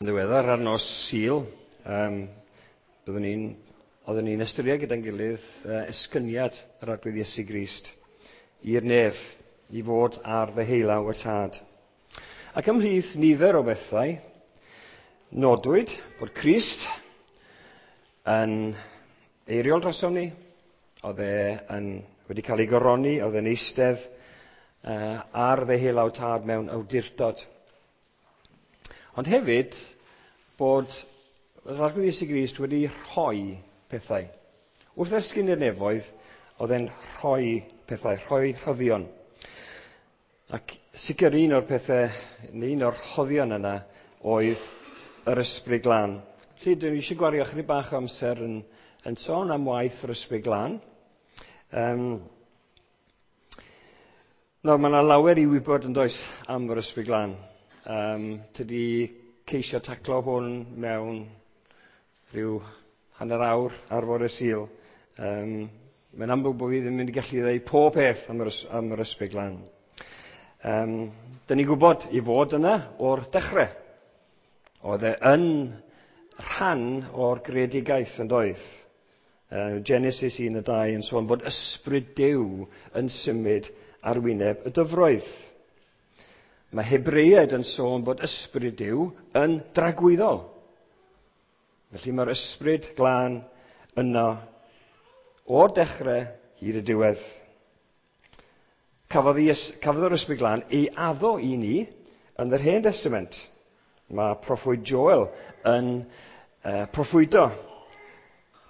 Yn ddiweddar ar nos Sul, oeddwn ni'n ystyried gyda'n gilydd esgyniad yr Arglwydd Iesu Grist i'r nef, i fod ar ddeheulaw y Tad. Ac ymhlith nifer o bethau, nodwyd bod Crist yn eiriol drosom ni, oedd e wedi cael ei goroni, oedd e'n eistedd ar ddeheulaw Tad mewn awdurdod. Ond hefyd, bod yr Arglwydd Iesu Grist wedi rhoi pethau. Wrth esgyn i'r nefoedd, oedd e'n rhoi pethau, rhoi rhoddion. Ac sicr un o'r pethau, neu un o'r rhoddion yna, oedd yr Ysbryd Glân. Felly, dwi eisiau gwario chydig bach o amser yn sôn am waith yr Ysbryd Glân. Nawr, mae yna lawer i wybod yn does am yr Ysbryd Glân. Tydi ceisio taclo hwn mewn rhyw hanner awr ar fore Sul. Mae'n amlwg bod fi ddim yn mynd i gallu ddeud pob peth am yr Ysbryd Glân. Dyn ni'n gwybod i fod yna o'r dechrau. Oedd e yn rhan o'r greadigaeth yn doedd. Genesis 1:2 yn sôn bod ysbryd Duw yn symud ar wyneb y dyfroedd. Mae Hebreaid yn sôn bod ysbryd Duw yn dragwyddol. Felly mae'r Ysbryd Glân yno o'r dechrau hyd y diwedd. Cafodd yr Ysbryd Glân ei addo i ni yn yr Hen Testament. Mae proffwyd Joel yn proffwydo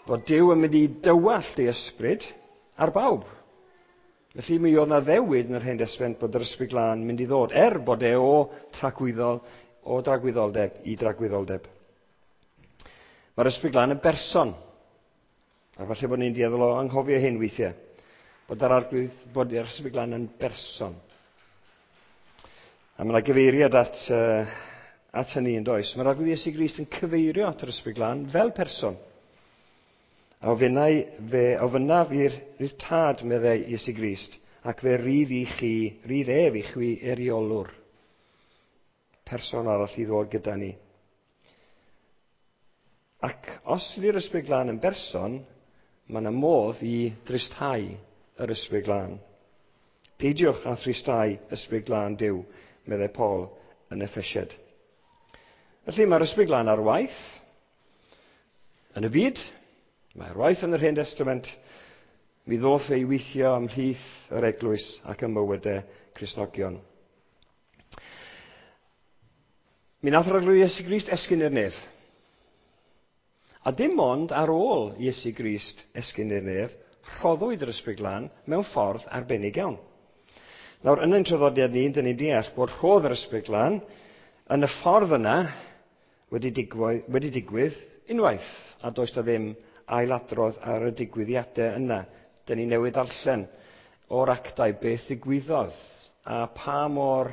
bod Duw yn mynd i dywallt ei ysbryd ar bawb. Felly mi oedd 'na ddewid yn yr Hen Testament bod yr Ysbryd Glân yn mynd i ddod, er bod e o dragwyddoldeb i dragwyddoldeb. Mae'r Ysbryd Glân yn berson. A falle bod ni'n dueddol o anghofio hyn weithiau. Bod yr Arglwydd, bod yr Ysbryd Glân yn berson. A mae yna gyfeiriad at hynny yn does. Mae'r Arglwydd Iesu Grist yn cyfeirio at yr Ysbryd Glân fel person. A fe ofynnaf i'r Tad, meddai Iesu Grist, ac fe rydd i chi, rydd ef i chwi eiriolwr. Person arall i ddod gyda ni. Ac os ydy'r Ysbryd Glân yn berson, mae yna modd i dristhau yr Ysbryd Glân. Peidiwch â thristau Ysbryd Glân Duw, meddai Paul yn Effesiaid. Felly mae'r Ysbryd Glân ar waith yn y byd, mae ar waith yn yr Hen Testament, mi ddoth ei weithio ymhlith yr eglwys ac ym mywydau Cristnogion. Mi nath yr Arglwydd Iesu Grist esgyn i'r nef. A dim ond ar ôl Iesu Grist esgyn i'r nef, rhoddwyd yr Ysbryd Glân mewn ffordd arbennig iawn. Nawr, yn ein traddodiad ni, dyn ni'n deall bod rhodd yr Ysbryd Glân yn y ffordd yna wedi digwydd unwaith, a does da ddim ailadrodd ar y digwyddiadau yna. Dyn ni newydd darllen o'r actau beth ddigwyddodd a pa mor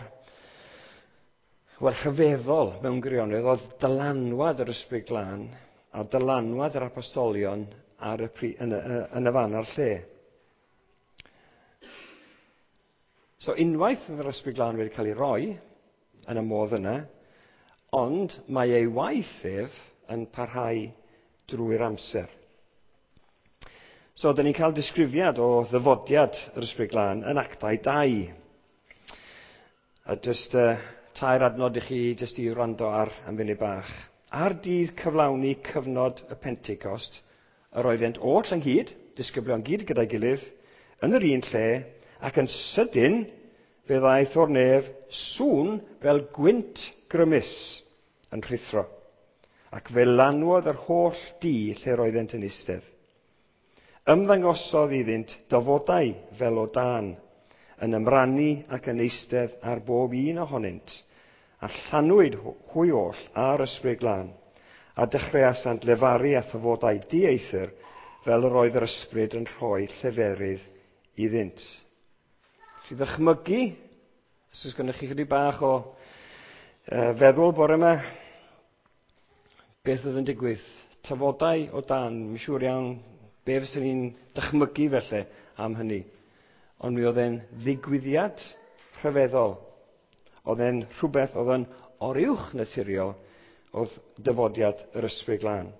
rhyfeddol mewn gwirionedd oedd dylanwad yr Ysbryd Glân a dylanwad yr apostolion ar y yn y fan a'r lle. So unwaith oedd yr Ysbryd Glân wedi cael ei roi yn y modd yna, ond mae ei waith ef yn parhau drwy'r amser. So, dyn ni'n cael disgrifiad o ddyfodiad yr Ysbryd Glân yn Actau 2. A jyst tair adnod i chi jyst i wrando ar am funud bach. Ar dydd cyflawni cyfnod y Pentecost, yr oeddent oll ynghyd, disgyblion gyd gyda'i gilydd, yn yr un lle, ac yn sydyn fe ddaeth o'r nef sŵn fel gwynt grymus yn rhuthro, ac fe lanwodd yr holl dŷ lle roeddent yn eistedd. Ymddangosodd iddynt dafodau fel o dân, yn ymrannu ac yn eistedd ar bob un ohonynt, a llanwyd hwy oll ar Ysbryd Glân, a dechreuasant lefaru a thafodau dieithr fel yr oedd yr Ysbryd yn rhoi lleferydd iddynt. Chi ddychmygu, os oes gennych chi chydig bach o feddwl bore yma, beth oedd yn digwydd? Tafodau o dan, mi'n siŵr iawn be fyswn ni'n dychmygu felly am hynny. Ond mi oedd e'n ddigwyddiad rhyfeddol. Oedd e'n rhywbeth oedd yn oruwch naturiol oedd dyfodiad yr Ysbryd Glân.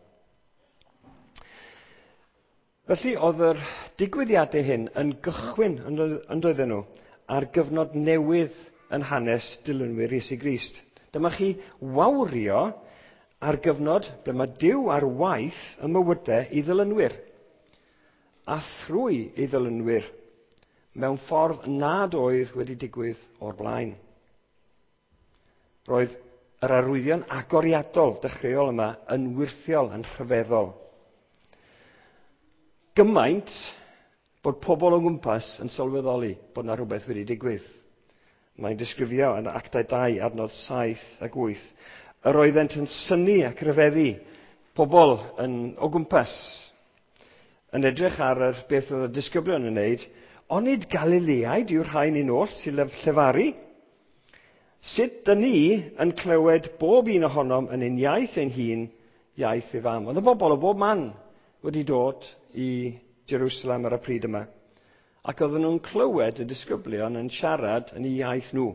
Felly oedd yr digwyddiadau hyn yn gychwyn yn doedden nhw ar gyfnod newydd yn hanes dilynwyr Iesu Grist. Dyma chi wawrio ar gyfnod ble mae Duw ar waith y mywydau i ddilynwyr, a thrwy ei ddilynwyr mewn ffordd nad oedd wedi digwydd o'r blaen. Roedd yr arwyddion agoriadol dechreuol yma yn wyrthiol, yn rhyfeddol. Gymaint bod pobl o gwmpas yn sylweddoli bod yna rhywbeth wedi digwydd. Mae'n disgrifio yn Actau 2, adnod 7 ac 8. Yr oeddent yn synnu ac rhyfeddu pobl yn, o gwmpas yn edrych ar yr beth oedd y disgyblion yn wneud, onid Galileaid yw'r rhain un oll sy'n llefaru? Sut dyn ni yn clywed bob un ohonom yn ein iaith ein hun, iaith ei fam? Oedd y bobl o bob man wedi dod i Jerusalem ar y pryd yma. Ac oedden nhw'n clywed y disgyblion yn siarad yn eu iaith nhw.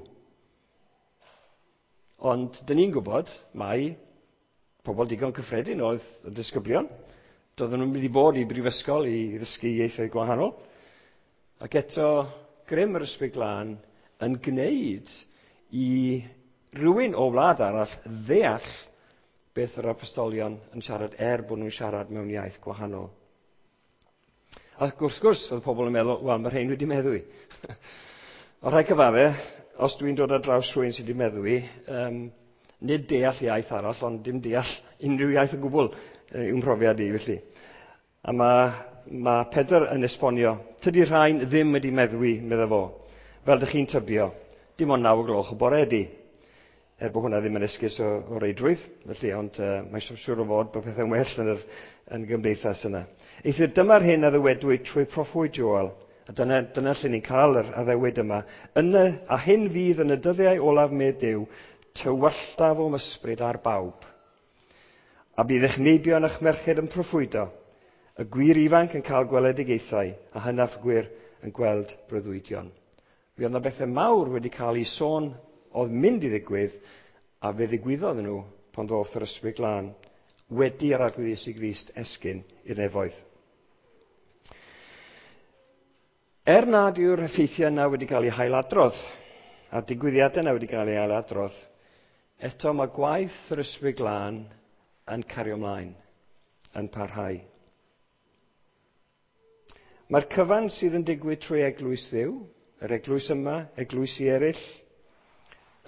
Ond dyn ni'n gwybod mai pobl digon cyffredin oedd y disgyblion. Doedden nhw'n mynd i bod i brifysgol i ddysgu ieithoedd gwahanol. Ac eto, grym yr Ysbryd Glân yn gwneud i rywun o wlad arall ddeall beth yr apostolion yn siarad er bod nhw'n siarad mewn iaith gwahanol. Ac wrth gwrs, oedd pobl yn meddwl, wel, mae rhain wedi meddwi. O rhai cyfadde, os dwi'n dod ar draws rhywun sydd wedi meddwi, nid deall iaith arall, ond dim deall unrhyw iaith o gwbl yw'n mhrofiad i, felly. A mae Pedr yn esbonio, tydi rhain ddim wedi meddwi, medda fo, fel dych chi'n tybio, dim ond 9 o gloch y bore ydi. Er bod hwnna ddim yn esgus o reidrwydd, felly, ond mae'n siŵr o fod bod pethau'n well yn yr yn gymdeithas yna. Eithr dyma'r hyn a ddywedwyd trwy proffwyd Joel, a dyna lle ni'n cael yr addewid yma. A hyn fydd yn y dyddiau olaf medd Duw, tywyllaf o'm ysbryd ar bawb. A bydd eich meibion a'ch merched yn proffwydo, y gwir ifanc yn cael gweledigaethau, a hynaf gwir yn gweld breuddwydion. Fe oedd yna bethau mawr wedi cael ei sôn oedd mynd i ddigwydd, a fe ddigwyddodd nhw pan ddoth yr Ysbryd Glân wedi yr Arglwydd Iesu Grist esgyn i'r nefoedd. Er nad yw'r effeithiau yna wedi cael eu hailadrodd, a'r digwyddiadau yna wedi cael eu hailadrodd, eto mae gwaith yr Ysbryd Glân yn cario ymlaen, yn parhau. Mae'r cyfan sydd yn digwydd trwy eglwys Dduw, yr eglwys yma, eglwysi eraill,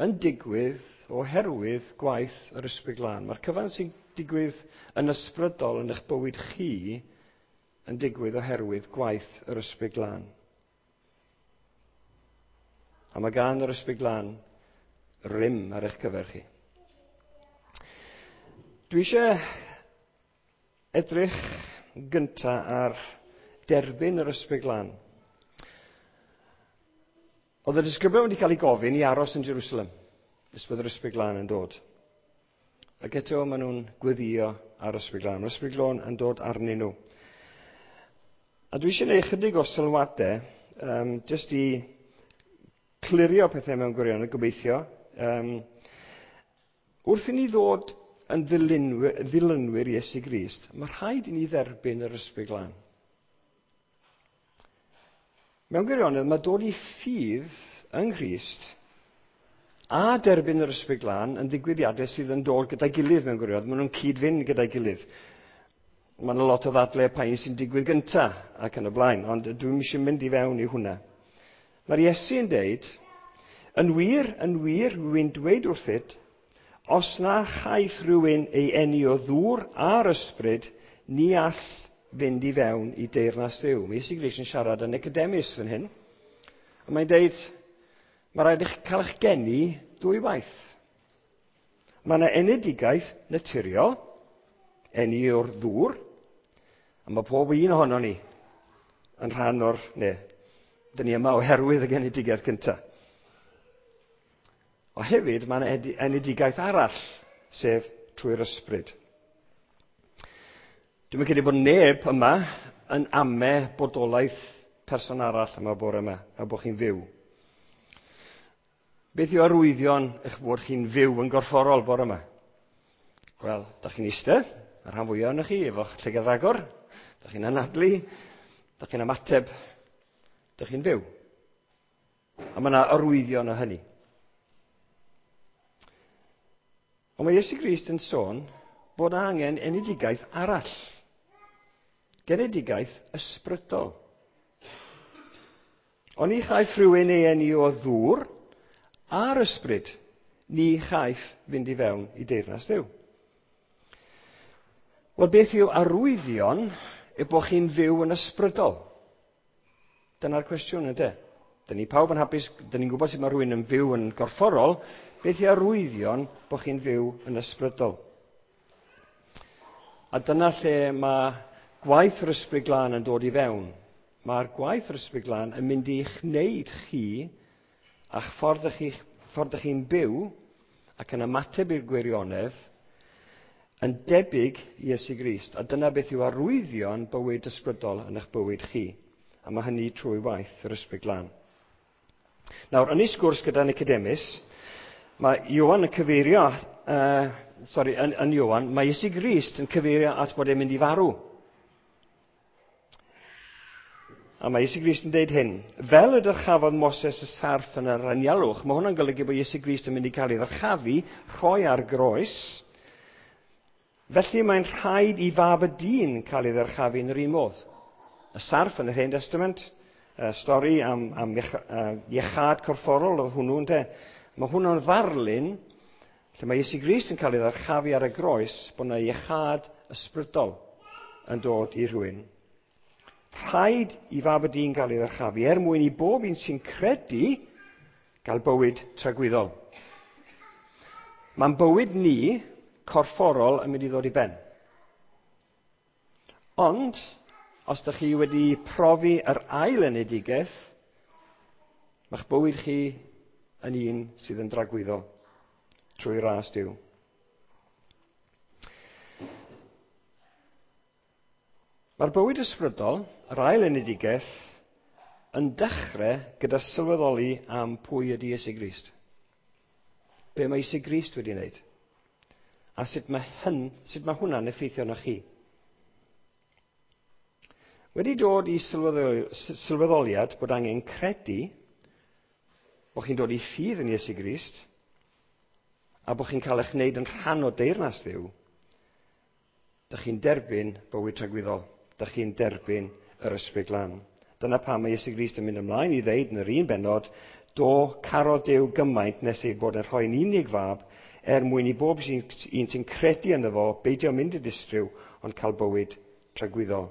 yn digwydd oherwydd gwaith yr Ysbryd Glân. Mae'r cyfan sy'n digwydd yn ysbrydol yn eich bywyd chi yn digwydd oherwydd gwaith yr Ysbryd Glân. A mae gan yr Ysbryd Glân rym ar eich cyfer chi. Dwi eisiau edrych gynta ar derbyn yr Ysbryd Glân. Oedd y disgyblion wedi cael eu gofyn i aros yn Jerusalem nes bod yr Ysbryd Glân yn dod. Ac eto maen nhw'n gweddio ar Ysbryd Glân. Mae'r Ysbryd Glân yn dod arnyn nhw. A dwi eisiau gwneud chydig o sylwadau, jyst i clirio pethau mewn gwirionedd, gobeithio. Wrth i ni ddod yn ddilynwyr Iesu Grist, mae rhaid i ni dderbyn yr Ysbryd Glân. Mewn gwirionedd, mae dod i ffydd yng Nghrist a derbyn yr Ysbryd Glân yn ddigwyddiadau sydd yn dod gyda'i gilydd mewn gwirionedd. Maen nhw'n cyd-fynd gyda'i gilydd. Mae yna lot o ddadlau pa un sy'n digwydd gynta ac yn y blaen, ond dwi'm eisiau mynd i fewn i hwnna. Mae'r Iesu yn deud, yn wir, rwy'n dweud wrthyt, os na chaiff rhywun ei eni o ddŵr a'r ysbryd, ni all fynd i fewn i deyrnas Dduw. Mae Iesu Grist yn siarad yn Nicodemus fan hyn. A mae'n deud, mae rhaid i chi cael eich geni dwy waith. Mae yna enedigaeth naturiol, eni o'r ddŵr, a mae pob un ohonon ni yn rhan o'r, ne, dyn ni yma oherwydd y genedigaeth gyntaf. O hefyd, mae yna enedigaeth arall, sef trwy'r ysbryd. Dwi'n credu bod neb yma yn ame bodolaeth person arall yma bore yma, a bod chi'n fyw. Beth yw arwyddion eich bod chi'n fyw yn gorfforol bore yma? Wel, da chi'n eistedd, y rhan fwyaf ohonoch chi, efo'ch llygad agor, da chi'n anadlu, da chi'n ymateb, da chi'n fyw. A mae yna arwyddion o hynny. Ond mae Iesu Grist yn sôn bod angen enedigaeth arall. Genedigaeth ysbrydol. Oni chaiff rhywun ei eni o ddŵr a'r ysbryd, ni chaiff fynd i fewn i deyrnas Dduw. Wel, beth yw arwyddion y bod chi'n fyw yn ysbrydol? Dyna'r cwestiwn, yndê? Dyn ni pawb yn hapus, dyn ni'n gwybod sut mae rhywun yn fyw yn gorfforol, beth yw arwyddion bod chi'n fyw yn ysbrydol? A dyna lle mae gwaith yr Ysbryd Glân yn dod i fewn. Mae'r gwaith yr Ysbryd Glân yn mynd i'ch wneud chi a'ch ffordd ych chi, ffordd ych chi'n byw ac yn ymateb i'r gwirionedd yn debyg i Iesu Grist. A dyna beth yw arwyddion bywyd ysbrydol yn eich bywyd chi. A mae hynny trwy waith yr Ysbryd Glân. Nawr, yn ei sgwrs gyda Nicodemus, mae Ioan yn cyfeirio, yn Ioan, mae Iesu Grist yn cyfeirio at bod e'n mynd i farw. A mae Iesu Grist yn dweud hyn, fel y dyrchafodd Moses y sarff yn yr anialwch, mae hwnna'n golygu bod Iesu Grist yn mynd i cael ei ddyrchafu, rhoi ar groes. Felly mae'n rhaid i fab y dyn cael ei ddyrchafu yn yr un modd. Y sarff yn yr Hen Testament, y stori am iechad corfforol oedd hwnnw, ynte. Mae hwnnw'n ddarlun lle mae Iesu Grist yn cael ei ddyrchafu ar y groes, bod yna iechad ysbrydol yn dod i rhywun. Rhaid i fab y dyn gael ei ddyrchafu er mwyn i bob un sy'n credu gael bywyd tragwyddol. Mae'n bywyd ni corfforol yn mynd i ddod i ben. Ond, os ydych chi wedi profi yr ail enedigaeth, mae'ch bywyd chi yn un sydd yn dragwyddol trwy ras Duw. Mae'r bywyd ysbrydol, yr ail enedigaeth, yn dechrau gyda sylweddoli am pwy ydy Iesu Grist. Be mae Iesu Grist wedi wneud? A sut mae hwnna'n effeithio arnoch chi? Wedi dod i sylweddoliad bod angen credu bod chi'n dod i ffydd yn Iesu Grist a bod chi'n cael eich wneud yn rhan o deyrnas Dduw, dych chi'n derbyn bywyd tragwyddol. Dych chi'n derbyn yr Ysbryd Glân. Dyna pam mae Iesu Grist yn mynd ymlaen i ddeud yn yr un bennod, do carodd Duw gymaint nes ei bod yn rhoi'n unig fab er mwyn i bob un sy'n credu ynddo fo beidio mynd i distryw, ond cael bywyd tragwyddol.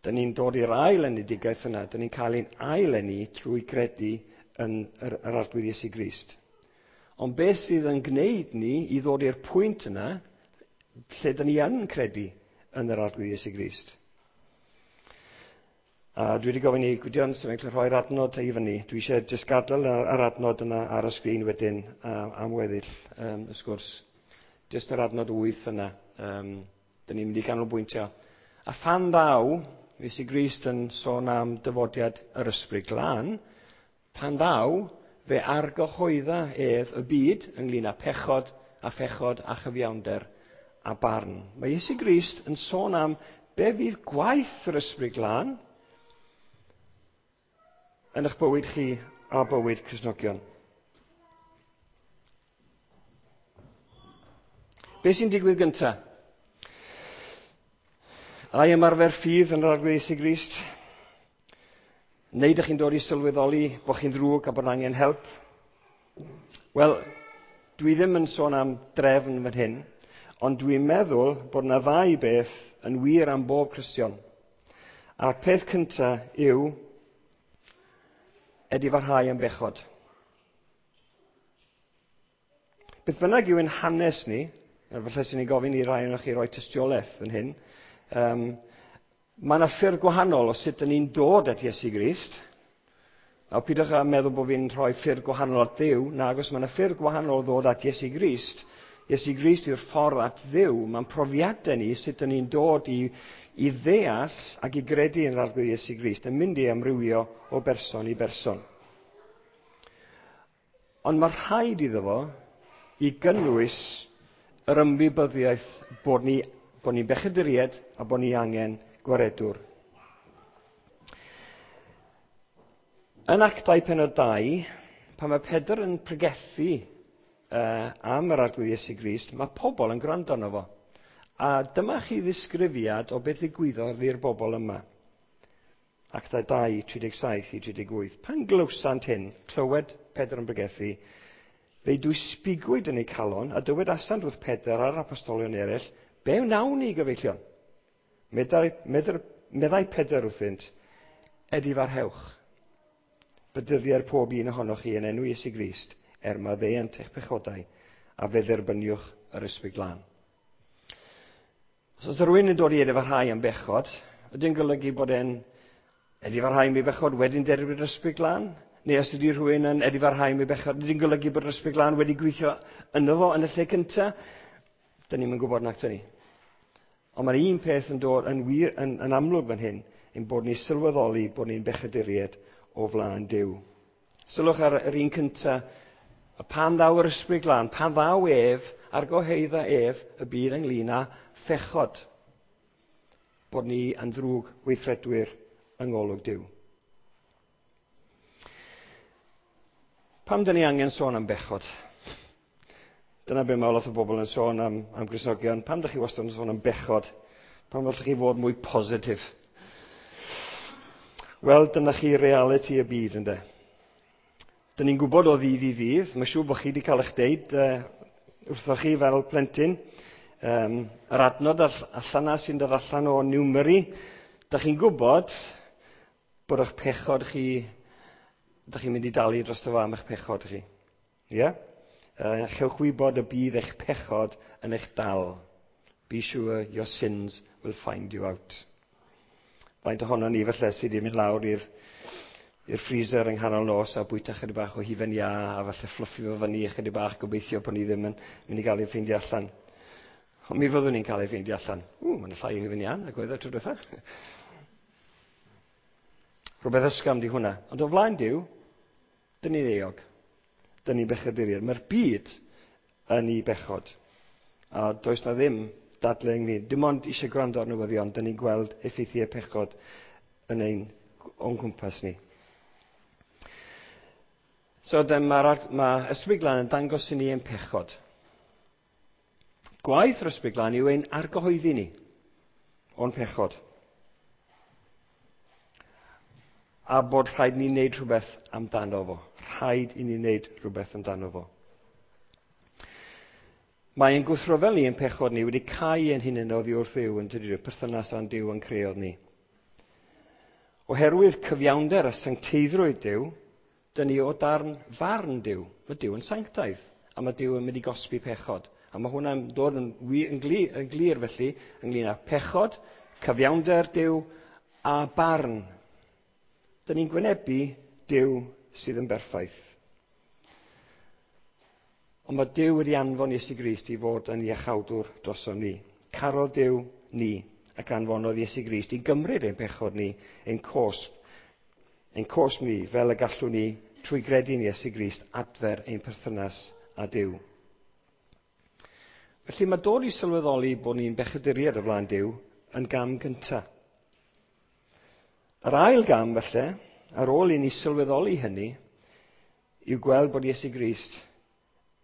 Dyn ni'n dod i'r ail enedigaeth yna. Dyn ni'n cael ein ail eni trwy credu yn yr Arglwydd Iesu Grist. Ond beth sydd yn gwneud ni i ddod i'r pwynt yna lle dyn ni yn credu yn yr Arglwydd Iesu Grist? A dwi wedi gofyn i Gwydion sy'n cael rhoi'r adnod i fyny. Dwi eisiau jyst gadael yr adnod yna ar y sgrin wedyn am weddill y sgwrs. Jyst yr adnod 8 yna. Dyn ni'n mynd i ganolbwyntio. A phan ddaw, Iesu Grist yn sôn am dyfodiad yr Ysbryd Glân, pan ddaw, fe argyhoedda ef y byd ynglyn â pechod a phechod a chyfiawnder a barn. Mae Iesu Grist yn sôn am be fydd gwaith yr Ysbryd Glân yn eich bywyd chi a bywyd Cristnogion. Be sy'n digwydd gyntaf? Ai ymarfer ffydd yn yr Arglwydd Iesu Grist? Neu ydych chi'n dod i sylweddoli bod chi'n ddrwg a bod angen help? Wel, dwi ddim yn sôn am drefn fan hyn, ond dwi'n meddwl bod yna ddau beth yn wir am bob Cristion. A'r peth cyntaf yw edifarhau am bechod. Beth bynnag yw ein hanes ni, falle sy'n ni'n gofyn i rai ohonoch chi roi tystiolaeth fan hyn, mae yna ffyrdd gwahanol o sut dyn ni'n dod at Iesu Grist. Nawr, pidwch â meddwl bod fi'n rhoi ffyrdd gwahanol at Dduw. Nag oes, mae yna ffyrdd gwahanol o ddod at Iesu Grist. Iesu Grist yw'r ffordd at Dduw. Mae'n profiadau ni sut dyn ni'n dod i ddeall ac i gredu yn yr Arglwydd Iesu Grist yn mynd i amrywio o berson i berson. Ond mae rhaid iddo fo i gynnwys Yr ymwybyddiaeth bod ni'n bechaduriaid a bod ni angen gwaredwr. Yn Actau pennod 2, pan mae Pedr yn pregethu am yr Arglwydd Iesu Grist, mae pobl yn gwrando arno fo. A dyma chi ddisgrifiad o beth ddigwyddodd i'r bobl yma. Actau 2, 37 i 38. Pan glywsant hyn, clywed Pedr yn pregethu, fe'i dwysbigwyd yn eu calon a dywedasant wrth Pedr a'r apostolion eraill, be wnawn ni, gyfeillion? Meddai Pedr wrthynt, edifarhewch. Bedyddier pob un ohonoch chi yn enw Iesu Grist, er maddeuant eich pechodau, a fe dderbyniwch yr Ysbryd Glân. Os oes rhywun yn dod i edifarhau am bechod, ydy'n golygu bod e'n edifarhau am ei bechod wedyn derbyn yr Ysbryd Glân? Neu os ydy rhywun yn edifarhau am ei bechod, ydy'n golygu bod yr Ysbryd Glân wedi gweithio yno fo yn y lle cyntaf? Dyn ni'm yn gwybod nac dyn ni. Ond mae'r un peth yn dod yn wir yn amlwg fan hyn, ein bod ni sylweddoli bod ni'n bechaduriaid o flaen Duw. Sylwch ar yr un cyntaf, pan ddaw yr Ysbryd Glân, pan ddaw ef, argyhoedda ef, y byd ynglyn â phechod. Bod ni yn ddrwg weithredwyr yng ngolwg Duw. Pam dyn ni angen sôn am bechod? Dyna be mae lot o bobl yn sôn am Gristnogion. Pam dych chi wastad yn sôn am bechod? Pam allwch chi fod mwy positif? Wel, dyna chi realiti y byd, ynde. Dyn ni'n gwybod o ddydd i ddydd, mae'n siŵr bod chi wedi cael eich deud wrthoch chi fel plentyn, yr adnod allan na sy'n dod allan o Numeri, dych chi'n gwybod bod eich pechod chi, dych chi'n mynd i dalu dros fo am eich pechod chi. Ie? Yeah? Chewch wybod y bydd eich pechod yn eich dal. Be sure your sins will find you out. Faint ohono ni falle sydd wedi mynd lawr i'r freezer yng nghanol nos a bwyta chydig bach o hufen iâ a falle fflwffio fo fyny chydig bach, gobeithio bod ni ddim yn mynd i gael ei ffeindio allan. Ond mi fyddwn ni'n cael ei ffeindio allan. Mae'n llai o hufen iâ nag oedd e tro diwetha. Rhywbeth ysgafn di hwnna. Ond o flaen Duw, dyn ni'n euog. Dyn ni'n bechaduriaid. Mae'r byd yn ei bechod. A does na ddim dadle ynglyn. Dim ond eisiau gwrando ar newyddion, dyn ni'n gweld effeithiau pechod yn ein o'n cwmpas ni. So mae Ysbryd Glân yn dangos i ni ein pechod. Gwaith yr Ysbryd Glân yw ein argyhoeddi ni o'n pechod. A bod rhaid ni wneud rhywbeth amdano fo. Rhaid i ni wneud rhywbeth amdano fo. Mae ein gwrthryfel ni, ein pechod ni, wedi cau ein hunain oddi wrth Dduw yn tydi, perthynas â'n Duw yn creodd ni. Oherwydd cyfiawnder a sancteiddrwydd Duw, dyn ni o darn farn Duw. Mae Duw yn sanctaidd, a mae Duw yn mynd i gosbi pechod. A mae hwnna'n dod yn glir felly ynglyn â pechod, cyfiawnder Duw a barn. Dyn ni'n gwynebu Duw sydd yn berffaith. Ond mae Duw wedi anfon Iesu Grist i fod yn iachawdwr drosom ni. Carodd Duw ni ac anfonodd Iesu Grist i gymryd ein pechod ni, ein cosb ni, fel y gallwn ni trwy gredu yn Iesu Grist adfer ein perthynas â Duw. Felly mae dod i sylweddoli bod ni'n bechaduriaid o flaen Duw yn gam gyntaf. Yr ail gam felly, ar ôl i ni sylweddoli hynny, yw gweld bod Iesu Grist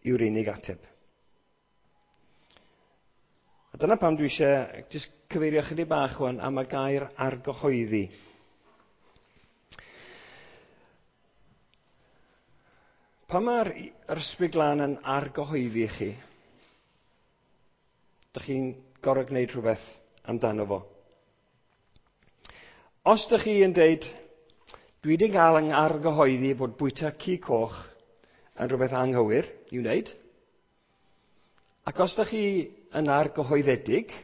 yw'r unig ateb. A dyna pam dwi eisiau jyst cyfeirio chydig bach wan am y gair argyhoeddi. Pan mae'r Ysbryd Glân yn argyhoeddi chi, dych chi'n gorfod gwneud rhywbeth amdano fo. Os dych chi yn deud, dwi wedi cael yng argyhoeddi bod bwyta cig coch yn rhywbeth anghywir i'w wneud, ac os dych chi yn argyhoeddedig,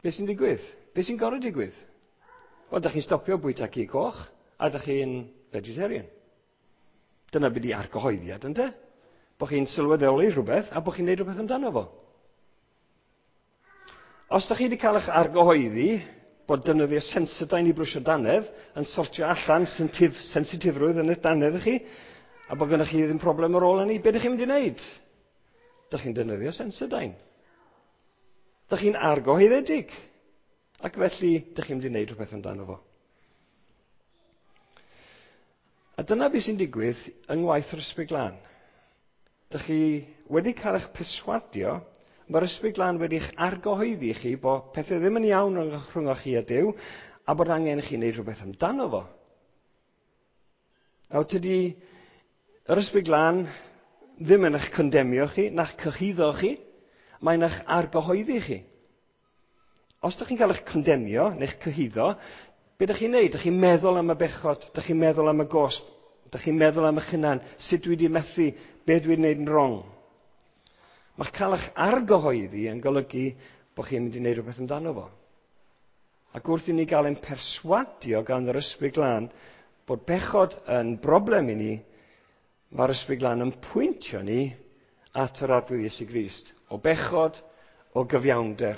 beth sy'n digwydd? Beth sy'n gorfod digwydd? Wel, dych chi'n stopio bwyta cig coch, a dych chi'n vegetarian. Dyna beth di argyhoeddiad, ynde? Bo chi'n sylweddoli rhywbeth, a bo chi'n neud rhywbeth amdano fo. Os dych chi wedi cael eich argyhoeddi bod defnyddio Sensodyne i brwsio dannedd yn sortio allan sensitifrwydd yn eich dannedd chi, a bod gennych chi ddim problem ar ôl hynny, be ydych chi'n mynd i wneud? Dych chi'n defnyddio Sensodyne. Dych chi'n argyhoeddedig. Ac felly, dych chi'n mynd i wneud rhywbeth amdano fo. A dyna beth sy'n digwydd yng ngwaith yr Ysbryd Glân. Dych chi wedi cael eich perswadio, mae'r Ysbryd Glân wedi'ch argyhoeddi chi bod pethau ddim yn iawn rhwng chi a Duw, a bod angen i chi wneud rhywbeth amdano fo. Nawr, tydi yr Ysbryd Glân ddim yn eich condemio chi, na'ch cyhuddo chi, mae'n eich argyhoeddi chi. Os ydych chi'n cael eich condemio neu'ch cyhuddo, be ydych chi'n neud? Ydych chi'n meddwl am y bechod, ydych chi'n meddwl am y gosb, ydych chi'n meddwl am eich hunan, sut dwi wedi methu, be dwi wedi wneud yn wrong. Mae'ch cael eich argyhoeddi yn golygu bod chi'n mynd i wneud rhywbeth amdano fo. Ac wrth i ni gael ein perswadio gan yr Ysbryd Glân bod bechod yn broblem i ni, mae'r Ysbryd Glân yn pwyntio ni at yr Arglwydd Iesu Grist. O bechod, o gyfiawnder.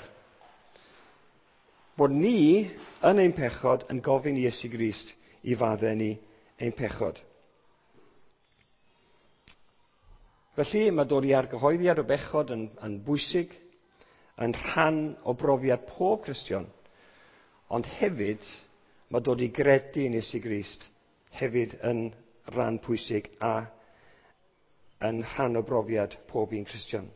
Bod ni yn ein pechod yn gofyn i Iesu Grist i faddau ni ein pechod. Felly mae dod i argyhoeddiad o bechod yn bwysig, yn rhan o brofiad pob Cristion, ond hefyd mae dod i gredu yn Iesu Grist hefyd yn rhan pwysig a yn rhan o brofiad pob un Cristion.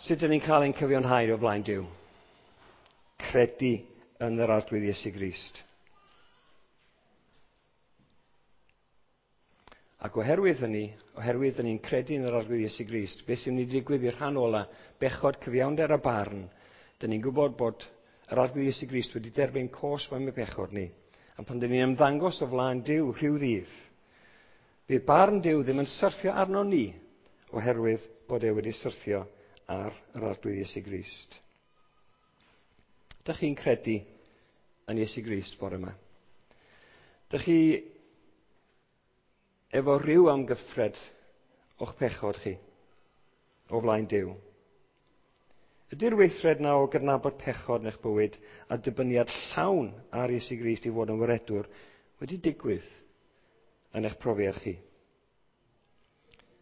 Sut ydyn ni'n cael ein cyfiawnhau o flaen Duw? Credu yn yr Arglwydd Iesu Grist. Ac oherwydd hynny, oherwydd dyn ni'n credu yn yr Arglwydd Iesu Grist, beth sy'n mynd i digwydd i'r rhan ola, bechod, cyfiawnder a barn, dyn ni'n gwybod bod yr Arglwydd Iesu Grist wedi derbyn cosb am y bechod ni. A pan dyn ni'n ymddangos o flaen Duw rhyw ddydd, bydd barn Duw ddim yn syrthio arno ni, oherwydd bod e wedi syrthio ar yr Arglwydd Iesu Grist. Dych chi'n credu yn Iesu Grist bore yma? Dych chi efo rhyw amgyffred o'ch pechod chi o flaen Duw? Ydy'r weithred na o gydnabod pechod yn eich bywyd a dibyniad llawn ar Iesu Grist i fod yn waredwr wedi digwydd yn eich profiad chi?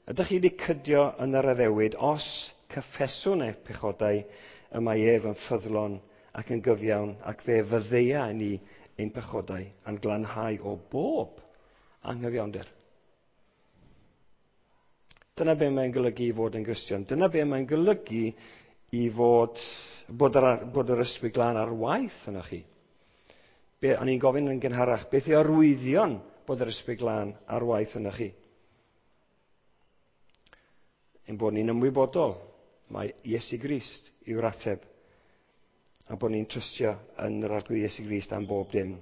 Ydych chi wedi cydio yn yr addewid os cyffeswn eich pechodau y mae ef yn ffyddlon ac yn gyfiawn ac fe fyddeia ni ein pechodau a'n glanhau o bob anghyfiawnder? Dyna be mae'n golygu i fod yn Gristion. Dyna be mae'n golygu i fod bod yr Ysbryd Glân ar waith yno chi. Be, o'n i'n gofyn yn gynharach, beth yw arwyddion bod yr Ysbryd Glân ar waith yno chi? Ein bod ni'n ymwybodol mae Iesu Grist yw'r ateb a bod ni'n trystio yn yr Arglwydd Iesu Grist am bob dim.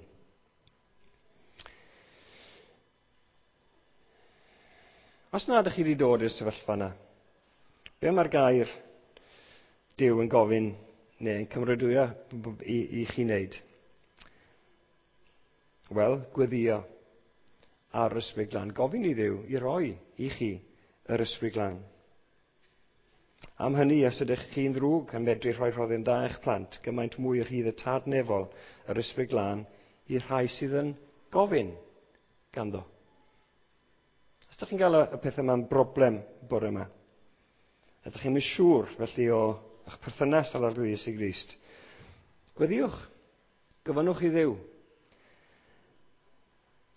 Os na ydych chi wedi dod i'r sefyllfa yna, be mae'r gair Duw yn gofyn neu yn cymeradwyo i chi wneud? Wel, gweddio ar yr Ysbryd Glân. Gofyn i Dduw i roi i chi yr Ysbryd Glân. Am hynny, os ydych chi'n ddrwg yn medru rhoi rhoddion da i'ch plant, gymaint mwy rhydd y Tad Nefol, yr Ysbryd Glân, i'r rhai sydd yn gofyn ganddo. Os ydych chi'n cael y pethau yma'n broblem bore yma, ydych chi'n mynd siŵr felly o eich perthynas â'r Arglwydd Iesu Grist, gweddiwch, gofynnwch i Dduw,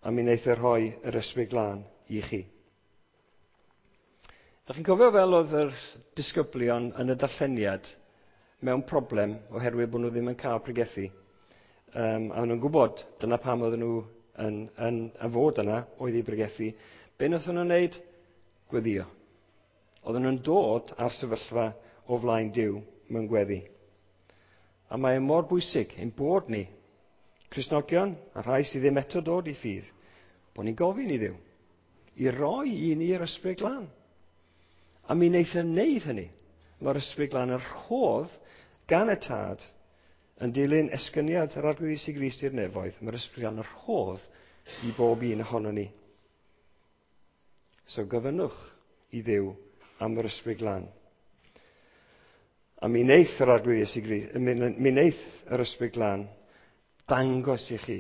a mi wneith e rhoi yr Ysbryd Glân i chi. Dach chi'n cofio fel oedd yr disgyblion yn y darlleniad mewn problem oherwydd bod nhw ddim yn cael pregethu. A nhw'n gwybod dyna pam oedden nhw yn fod yna oedd i bregethu. Be wnaethon nhw'n wneud? Gweddio. Oedden nhw'n dod ar sefyllfa o flaen Duw mewn gweddi. A mae e mor bwysig ein bod ni, Cristnogion, a rhai sydd ddim eto dod i ffydd, bod ni'n gofyn i Dduw i roi i ni'r Ysbryd Glân. A mi wneith e wneud hynny. Mae'r Ysbryd Glân yn rhodd gan y Tad yn dilyn esgyniad yr Arglwydd Iesu Grist i'r nefoedd. Mae'r Ysbryd Glân yn rhodd i bob un ohono ni. So gofynnwch i Dduw am yr Ysbryd Glân. A mi wneith yr Arglwydd Iesu Grist, mi wneith yr Ysbryd Glân dangos i chi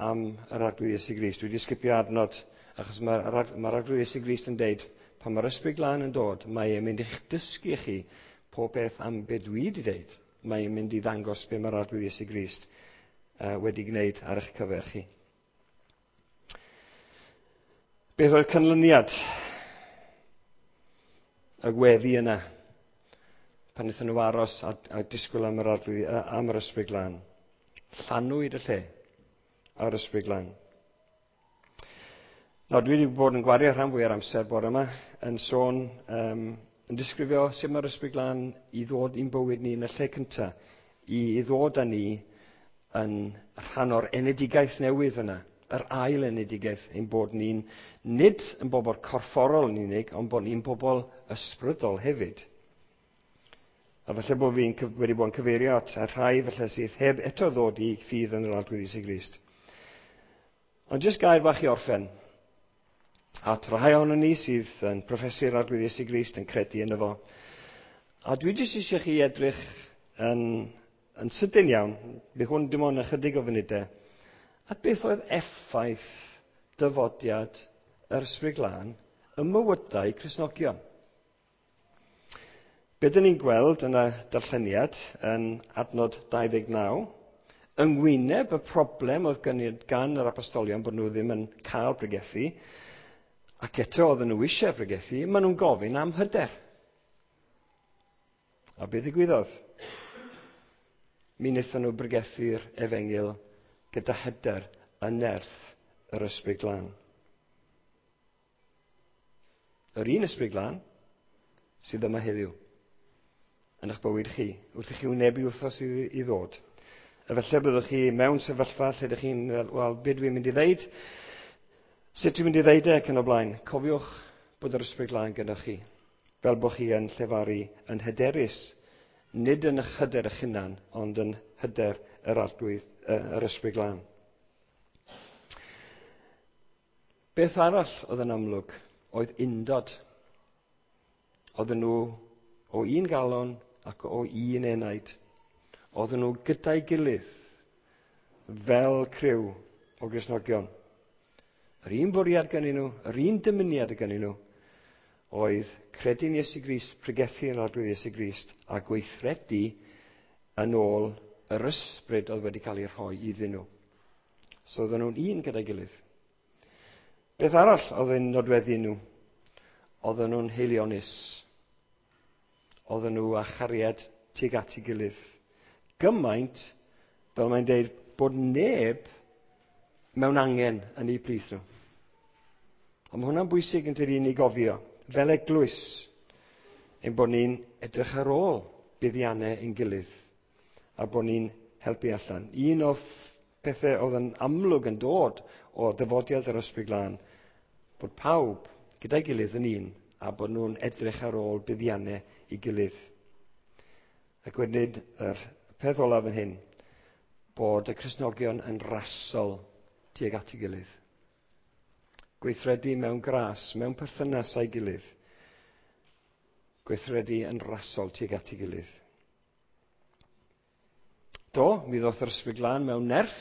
am yr Arglwydd Iesu Grist. Dwi wedi sgipio adnod Achos mae'r ma Arglwydd Iesu Grist yn deud, pan mae'r Ysbryd Glân yn dod, mae e'n mynd i'ch dysgu chi pob peth am be dwi wedi deud. Mae e'n mynd i ddangos be mae'r Arglwydd Iesu Grist wedi gwneud ar eich cyfer chi. Beth oedd canlyniad y gweddi yna pan wnaethon nhw aros a disgwyl am yr Arglwydd, am yr Ysbryd Glân? Llanwyd y lle ar Ysbryd Glân. Nawr, dwi wedi bod yn gwario rhan fwy o'r amser bore yma yn sôn, yn disgrifio sut mae'r Ysbryd Glân i ddod i'n bywyd ni yn y lle cyntaf, i ddod â ni yn rhan o'r enedigaeth newydd yna, yr ail enedigaeth, ein bod ni'n nid yn bobl corfforol yn unig, ond bod ni'n bobl ysbrydol hefyd. A falle bod fi'n wedi bod yn cyfeirio at y rhai falle sydd heb eto ddod i ffydd yn yr Arglwydd Iesu Grist. Ond jyst gair bach i orffen. At rhai ohonon ni sydd yn proffesu'r Arglwydd Iesu Grist, yn credu yno fo. A dwi jyst eisiau chi edrych yn sydyn iawn, bydd hwn dim ond ychydig o funudau, at beth oedd effaith dyfodiad yr Ysbryd Glân ym mywydau Cristnogion. Be dyn ni'n gweld yn y darlleniad yn adnod 29, yng ngwyneb y problem oedd gan yr apostolion bod nhw ddim yn cael pregethu, ac eto oedden nhw eisiau pregethu, maen nhw'n gofyn am hyder. A beth ddigwyddodd? Mi wnaethon nhw bregethu'r efengyl gyda hyder yn nerth yr Ysbryd Glân. Yr un Ysbryd Glân sydd yma heddiw yn eich bywyd chi, wrth i chi wynebu wythnos i ddod. A falle byddwch chi mewn sefyllfa lle ydych chi'n fel, wel, be dwi'n mynd i ddeud? Sut dwi'n mynd i ddeud e ac yn y blaen? Cofiwch bod yr Ysbryd Glân gyda chi, fel bod chi yn llefaru yn hyderus, nid yn eich hyder eich hunan, ond yn hyder yr Arglwydd, yr Ysbryd Glân. Beth arall oedd yn amlwg oedd undod. Oedden nhw o un galon ac o un enaid. Oedden nhw gyda'i gilydd fel criw o Gristnogion. Yr un bwriad gennyn nhw, yr un dymuniad gennyn nhw, oedd credu'n Iesu Grist, pregethu yn Arglwydd Iesu Grist, a gweithredu yn ôl yr ysbryd oedd wedi cael ei rhoi iddyn nhw. So oedden nhw'n un gyda'i gilydd. Beth arall oedd yn nodweddu nhw? Oedden nhw'n haelionus. Oedden nhw â chariad tuag at ei gilydd. Gymaint, fel mae'n deud, bod neb mewn angen yn eu plith nhw. Ond mae hwnna'n bwysig yn tydi ni gofio, fel eglwys, ein bod ni'n edrych ar ôl buddiannau ein gilydd, a bod ni'n helpu allan. Un o pethau oedd yn amlwg yn dod o dyfodiad yr Ysbryd Glân, bod pawb gyda'i gilydd yn un, a bod nhw'n edrych ar ôl buddiannau i gilydd. Ac wedyn, yr peth olaf yn hyn, bod y Cristnogion yn rasol tuag at ei gilydd. Gweithredu mewn gras, mewn perthynas â'i gilydd. Gweithredu yn rasol tuag at ei gilydd. Do, mi ddoth yr Ysbryd Glân mewn nerth,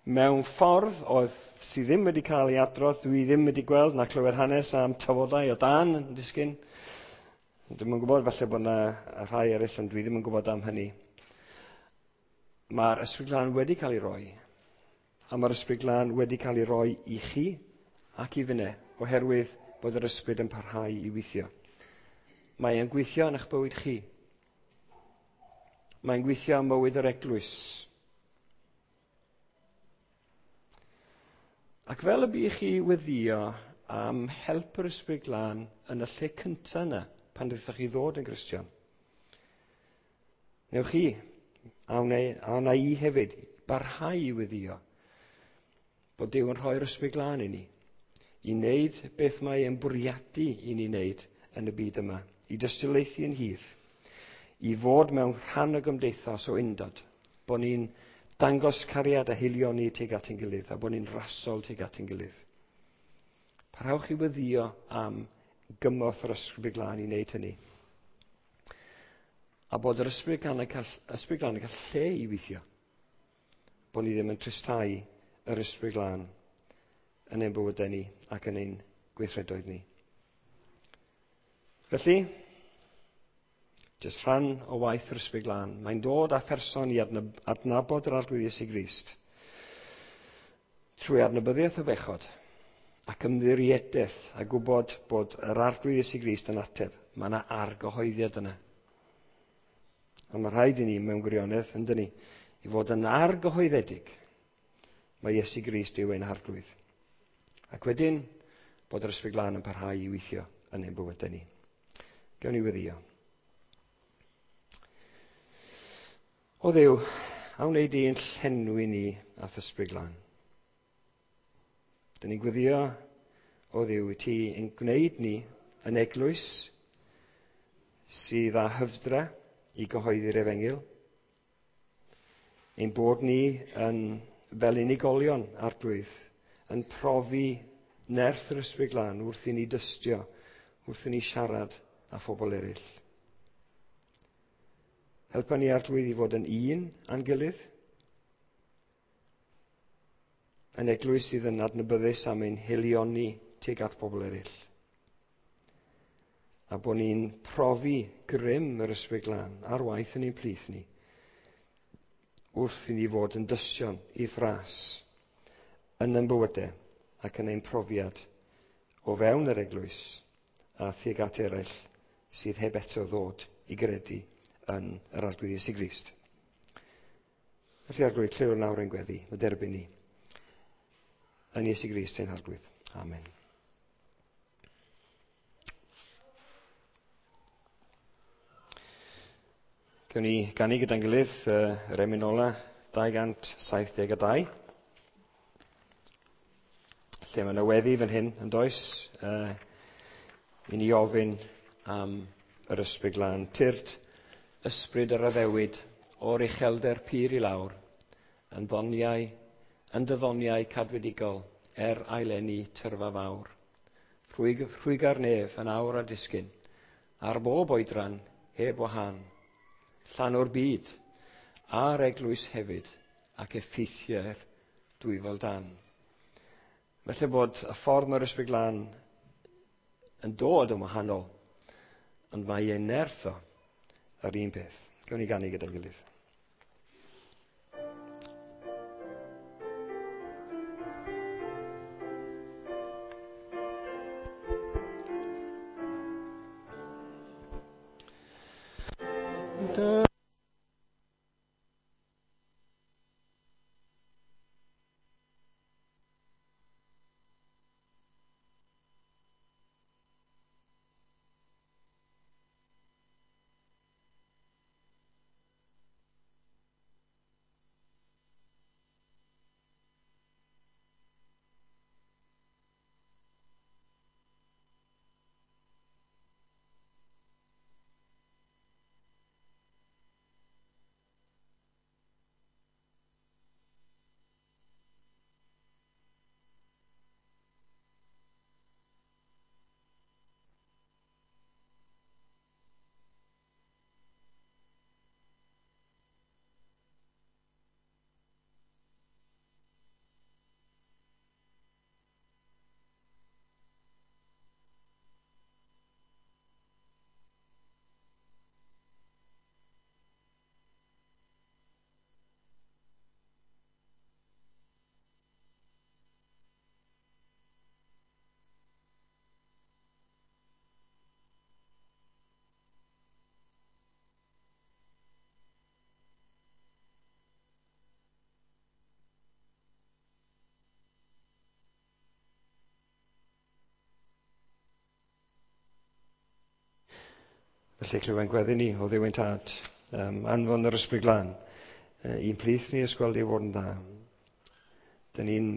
mewn ffordd oedd sydd ddim wedi cael ei adrodd, dwi ddim wedi gweld na clywed hanes am tafodau o dan yn disgyn. Dwi'm yn gwybod, falle bod yna rhai eraill, ond dwi ddim yn gwybod am hynny. Mae'r Ysbryd Glân wedi cael ei roi, a mae'r Ysbryd Glân wedi cael ei roi i chi ac i finne, oherwydd bod yr Ysbryd yn parhau i weithio. Mae e'n gweithio yn eich bywyd chi. Mae'n gweithio ym mywyd yr eglwys. Ac fel y bu chi weddio am help yr Ysbryd Glân yn y lle cyntaf yna, pan ddethoch chi ddod yn Gristion, newch chi, a wna i hefyd, barhau i weddio bod Duw yn rhoi'r Ysbryd Glân i ni, i wneud beth mae e'n bwriadu i ni wneud yn y byd yma, i dystiolaethu yn hir, i fod mewn rhan o gymdeithas o undod, bod ni'n dangos cariad a haelioni tuag at ein gilydd, a bod ni'n rasol tuag at ein gilydd. Parhewch i weddio am gymorth yr Ysbryd Glân i wneud hynny. A bod yr Ysbryd Glân yn cael, Ysbryd Glân yn cael lle i weithio. Bod ni ddim yn tristau yr Ysbryd Glân. yn ein bywydau ni ac yn ein gweithredoedd ni. Felly, jyst rhan o waith yr Ysbryd Glân, mae'n dod â pherson i adnabod yr Arglwydd Iesu Grist trwy adnabyddiaeth o bechod ac ymddiriedaeth a gwybod bod yr Arglwydd Iesu Grist yn ateb. Mae yna argyhoeddiad yna. A mae rhaid i ni mewn gwirionedd, yndyn ni, i fod yn argyhoeddedig mae Iesu Grist yw ein Harglwydd. Ac wedyn, bod yr Ysbryd Glân yn parhau i weithio yn ein bywydau ni. Gawn ni weddïo. O Dduw, a wnei di ein llenwi ni â'th Ysbryd Glân. Dyn ni'n gweddio, o Dduw, i ti yn gwneud ni yn eglwys sydd â hyfdra i gyhoeddi'r efengyl. Ein bod ni yn, fel unigolion, Arglwydd, yn profi nerth yr Ysbryd Glân wrth i ni dystio, wrth i ni siarad â phobl eraill. Helpa ni, Arglwydd, i fod yn un â'n gilydd, yn eglwys sydd yn adnabyddus am ein haelioni tuag at bobl eraill. A bod ni'n profi grym yr Ysbryd Glân ar waith yn ein plith ni, wrth i ni fod yn dystion i'th ras yn ein bywydau ac yn ein profiad o fewn yr eglwys a thuag at eraill sydd heb eto ddod i gredu yn yr Arglwydd Iesu Grist. Felly Arglwydd, clyw nawr ein gweddi, mae derbyn ni. Yn Iesu Grist ein Harglwydd. Amen. Gawn ni ganu gyda'n gilydd yr emyn ola 272. Lle mae yna weddi fan hyn, yn does? I ni ofyn am yr Ysbryd Glân. Tyrd, ysbryd yr addewid o'r uchelder pur i lawr, yn ddoniau, yn dyddoniau cadwedigol, er aileni tyrfa fawr. Rhwyga'r nef yn awr a disgyn, ar bob oedran, heb wahân. Llan o'r byd, a'r eglwys hefyd, ac effeithiau'r dwyfol dan. Felly bod y ffordd mae'r Ysbryd Glân yn dod yn wahanol, ond mae ei nerth o yr un peth. Gawn ni ganu gyda'n gilydd. Felly clywed gweddi ni o Dduw ein Tad, anfon yr Ysbryd Glân i'n plith ni ysgweld i fod yn dda. Dyn ni'n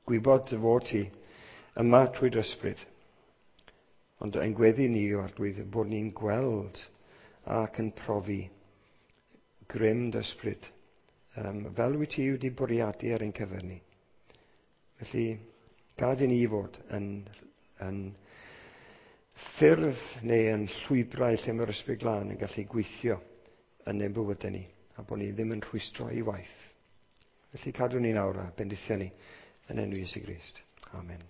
gwybod dy fod ti yma trwy dy ysbryd, ond ein gweddi ni yw, Arglwydd, bod ni'n gweld ac yn profi grym dy ysbryd, fel wyt ti wedi bwriadu ar ein cyfer ni. Felly, gad i ni fod yn ffyrdd neu yn llwybrau lle mae'r Ysbryd Glân yn gallu gweithio yn ein bywydau ni, a bod ni ddim yn rhwystro ei waith. Felly cadw ni nawr a bendithio ni Yn enw Iesu Grist. Amen.